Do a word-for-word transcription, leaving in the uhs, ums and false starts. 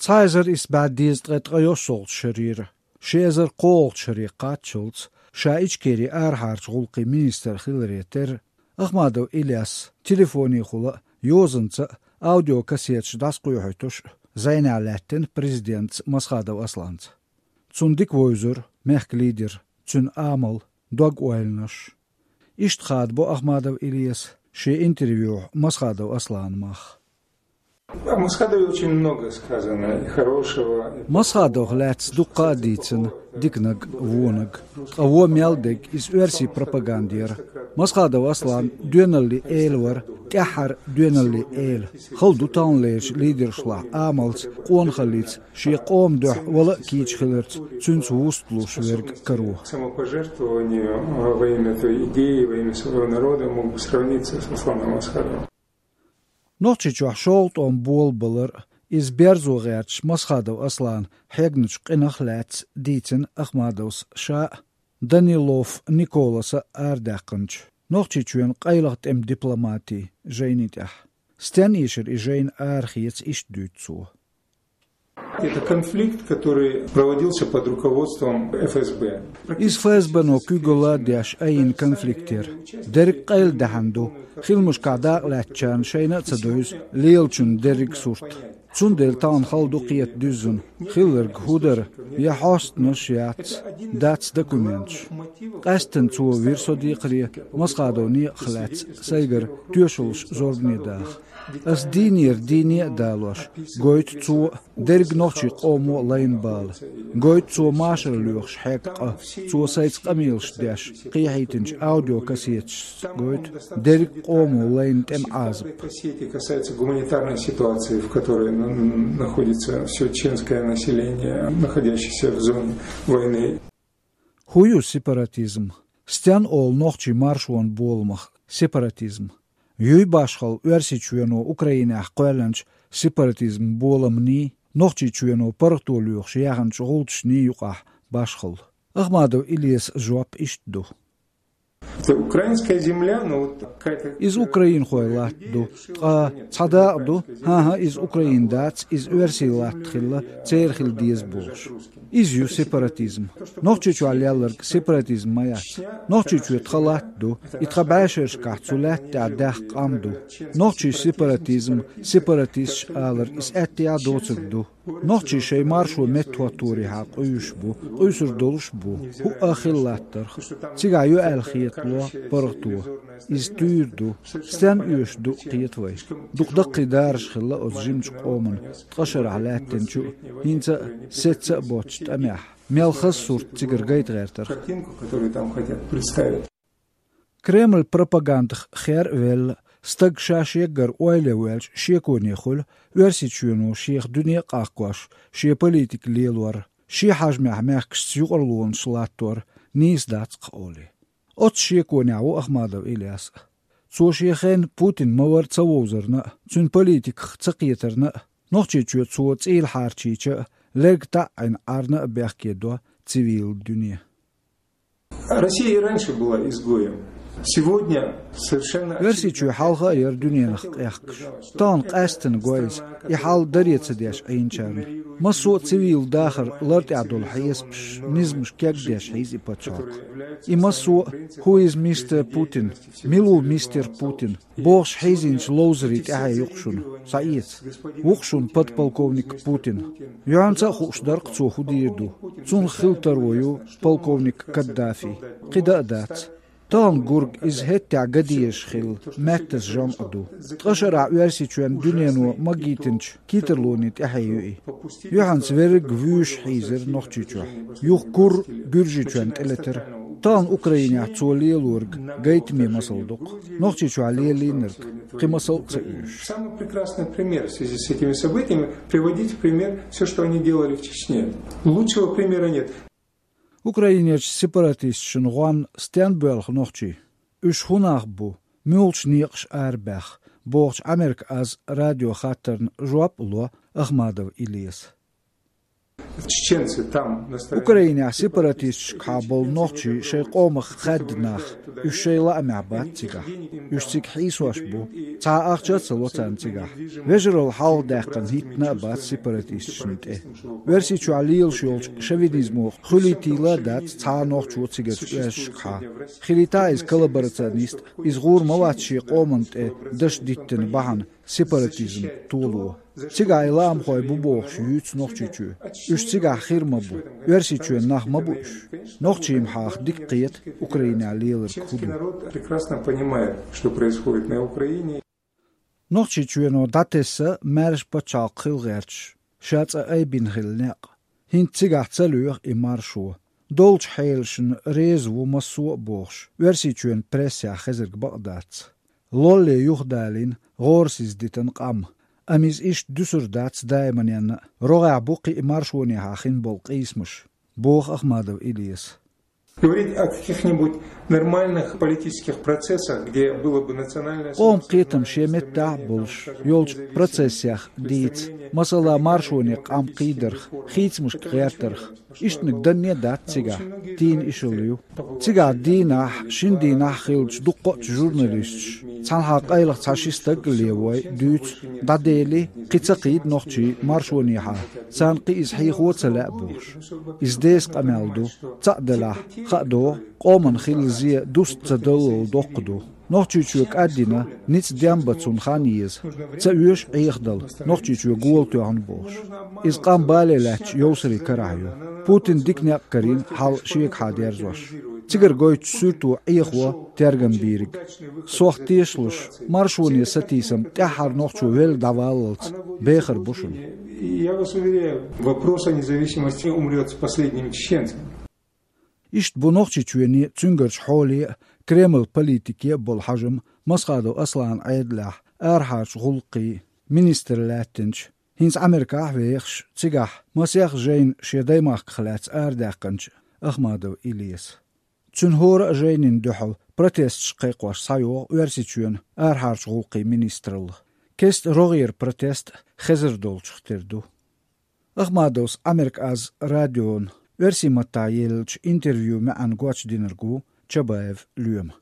Цхьа эзар исс бӀаь дезткъе ткъайоьссалгӀачу шарера ши эзар кхоалгӀачу шаре кхаччалц, ша Ичкерин арахьарчу гӀуллакхийн министр хиларе терра, Ахмадов Ильяс телефонехула а, йозанца а аудиокассеташ дӀасакхоьхьуьйтуш а зӀенехь лаьттина президентца Масхадов Асланца. Цунна дика вевзара мехкан лидер, цуьнан амал, дог-ойланаш. Иштта хадабо Ахмадов Ильяс шен интервьюхь Масхадов Асланан мах. О Масхадове очень много сказано, и хорошего, и Масхадовх лаьцна дуккха а дийцина, диканиг, вониг. Ткъа вон мел дерг иза оьрсийн пропаганда яра. Масхадов Аслан доьналлин эла вара, тӀаьххьара доьналлин эла. Хала ду таханлерчу лидерашлахь амалца, къонахаллица, шен къоман дуьхьа вала а кийча хиларца цуьнца вуст луш верг каро. Самопожертвованию во имя той идеи, во имя своего народа мог бы сравниться с Асланом Масхадовым. Нохчийчохь шолгӀа тӀом болабалар а, иза берзо гӀерташ Масхадов Аслана хьегначу къинах а лаьцна дийцина Ахмадовс ша а, Данилов Николаса а арадаьккхинчу Нохчийчоьнан къайлаха тӀеман дипломатин жайни тӀехь. Стенна эшара и жайна арахеца иштта дуьйцу цо. Это конфликт, который проводился под руководством Ф С Б. Иза Ф С Б-но куьйгалла а деш айина конфликт яра. Дерриг къайладаьхьна ду, хиламашкахь дакъалаьцначарна шайна а ца девза лелачун дерриг сурт. Цундела тахана хала ду кхета дуьззина, хилларг хӀун дара, я хьостанаш яц, дац документаш. Къаьсттина цо вира со декхаре, Масхадов некъах лаьцна сайгара тоьшаллаш зорбане даха. Ас дийнера дийне а далош, гойту цо а, дерриг нохчийн къомо а лайна бала. Гойту цо машар лоьхуш хьегна къа. Цо сайца къамелаш деш, кхехьийтинчу аудиокассеташца гойту дерриг къомо лайна тӀеман Ӏазап. Кассеты касаются гуманитарной ситуации, в которой на-, находится всё чеченское население, находящееся в зоне войны. ХӀун ю сепаратизм? Стенна олу нохчийн маршонан боламах сепаратизм? Юй башхалла Оьрсийчоьно Украинехь кхоьллинчу сепаратизм боламний, Нохчийчоьно паргӀато лоьхуш яьхначу гӀулчашний юкъахь башхалла? Ахмадов Ильясан жоп иштта ду. Это украинская земля, но вот какая-то... Иза украинхойн латта ду, ткъа цхьа дакъа ду, хӀан-хӀа, иза Украинан дац, иза оьрсийн латта хилла, церан хила деза бохуш. Иза ю сепаратизм. Нохчийчохь лелларг сепаратизм ма яц. Нохчийчоь тхан латта ду, и тхан бӀешерашкахь цу лаьтта тӀехь даьхна къам ду. Нохчийн сепаратизм, сепаратисташ алар, иза аьттехьа доцург ду. Нохчий шайн маршо меттахӀотторехьа къуьйсуш бу, къуьйсур долуш бу, хӀуъа а хилла латтарх. Цигахь ю аьлла хетало паргӀато. Иза туьйра ду, стенна оьшуш ду кхета вай. Дукха даккхий дараш хилла оцу жимачу къоман ткъа шарахь лаьттинчу а, хӀинца а сецца а боцучу тӀамехь, мел хаза сурт цигара гайта гӀертарх. Картинку, которую там хотят представить. Кремль пропагандах хер а велла, стаг ша шеггара ойла ян воьлча шеконе хуьлу, Оьрсийчоьно шех дуьне а къахкош, шен политика лелор, шен хьежамехь мехкашца юкъарлонаш латтор нийса дац-кх олий. Оццу шеконехь ву Ахмадов Ильяс а. Цо шен хенахь Путин ма-варра ца вовзарна а, цуьнан политиках ца кхетарна а, Нохчийчоь цо цӀийла хьарчийча а, лерг таӀийна Ӏарна а бехке до цивилан дуьне. Россия и раньше была изгоем. Сегодня совершенно очевидно... Оьрсийчоь хьалха а яра дуьненах къехкаш. Тахана къаьсттина го иза, и хьал даре ца деш Ӏийначарна. Массо а цивилан дахар лартӀехь долу хьесапаш, низамаш кегдеш хьийза и пачхьалкх. И массо а: «Who is мистер Путин? Мила ву мистер Путин?» бохуш хьийзинчу ловзарийн тӀаьхье ю-кх шуна, схьаэца. Ву-кх шуна подполковник Путин. Юьхьанца а хууш дара-кх цо хӀун дийр ду. Цунах хила таро ю полковник Каддафи. КхидӀа а дац. Тахана гург иза хӀеттехь ган дезаш хилла, маьттаза жамӀ а ду. Ткъа шарахь Оьрсийчоьнна дуьнено магийтинчу китарлонийн тӀаьхье ю и. Юьхьанца верриг а вуьйш хьийзира Нохчийчохь. Юха кура Гуьржийчоьнна тӀелетира. Тахана Украинехь цо лелориг гайтаме масал ду-кх. Нохчийчохь лелийнарг кхин масал а ца оьшу. Самый прекрасный пример в связи с этими событиями — приводить в пример всё, что они делали в Чечне. Лучшего примера нет. Украинерчу сепаратисташна гӀонна стенна боьлху нохчий? Уьш хӀун нах бу? Муьлхачу некъаша арабаьхна? бохучу Америка аз радион хаттарна жоп а ло Ахмадов Ильяса. Украинехь сепаратисташкахьа болу нохчий шайн къомах хаьдда нах, уьш шайн лаамехь бац цигахь. Уьш цига хьийсош бу, цхьа ахча а ца ло царна цигахь. Вежаралла хьалха даьккхина хӀиттина а бац сепаратисташна тӀе. Оьрсийчохь лелаш йолчу шовинизмо хуьлийтийла а дац цхьа а нохчо цигарчу оьшшашкахьа. Хилийта иза коллаборационист, иза гӀур ма вац шен къоманна тӀе даш диттина бахьана сепаратизм толо. Цигахь и лаамхой бу бохуш юьйцу Нохчийчоь. Уьш цигахь хир ма бу. Оьрсийчоьнан нах ма бу уьш. Нохчийн хьаха дика кхета Украинехь леларг хӀун ду. Народ прекрасно понимает, что происходит на Украине. Нохчийчоьно дӀатесна маьрша пачхьалкх хила гӀерташ, ша цӀа айбина хилла некъ. ХӀинца цигахь ца лоьху и маршо. Долчу хьелашна реза ву массо а бохуш, Оьрсийчоьнан прессехь хезарг бакъ дац. Лолле юхадалийна гӀорасиз дитина къам. Амма иза иштта дуьсур дац даиманенна а, рогӀехь бу кхин а маршонехьа хин болу къийсамаш, боху Ахмадов Илеса. Говорить о каких-нибудь нормальных политических процессах, где было бы национальное... Къоман кхетам шен меттехь а болуш йолчу процессех дийца, масала, маршоне къам кхийдарх, хийцамашка гӀертарх. Иштаниг данне а дац цигахь, дийна ишалла ю. Цигахь дийнахь, шина дийнахь хиллачу дуккха а журналисташ, цхьанхьа къайлаха цхьа-ши стаг а левой, дуьйцу, дӀадели, кхин ца кхийда нохчий маршонехьа, царна кхин иза хьехо а ца лаьа бохуш. Иза деса къамел ду, цхьаъ делахь, хаа догӀу, къоман хилла зе дуста ца даллал доккха ду. Нохчийчоь кӀаддина, ницкъ дем бан цунна хан еза. Ца оьшу Ӏехадала, Нохчийчоь гола тоьхна бохуш. Иза къам бале лаьтташ йовсарийн карахь ю. Путина дика некъ карийна хьал шегахьа дерзош. Цигара гойтуш суьрто Ӏехо тергам бийриг. Сох тешалуш, маршоне сатийсам тӀаьххьара нохчо велла дӀаваллалц бехар бу шуна. Я вас уверяю, вопрос о независимости умрёт с последним чеченцем. Иштта бу Нохчийчоьне, цуьнгарчу хьоле а, Кремлан политике а болу хьажам Масхадов Асланан Ӏедалехь, арахьарчу гӀуллакхийн министр лаьттинчу, хӀинца Америкахь а вехаш, цигахь масех жайна шен даймахках лаьцна арадаьккхинчу Ахмадов Илеса. Цуьнан хӀора а жайнина дуьхьал протесташ кхайкхош схьайогӀу Оьрсийчоьнан арахьарчу гӀуллакхийн министралла. Кеста рогӀера протест хезар долчух тера ду. Ахмадовс Америка Аз радиона оьрсийн маттахь еллачу интервьюн маьӀна гочдинарг ву Чабаев Лоьма.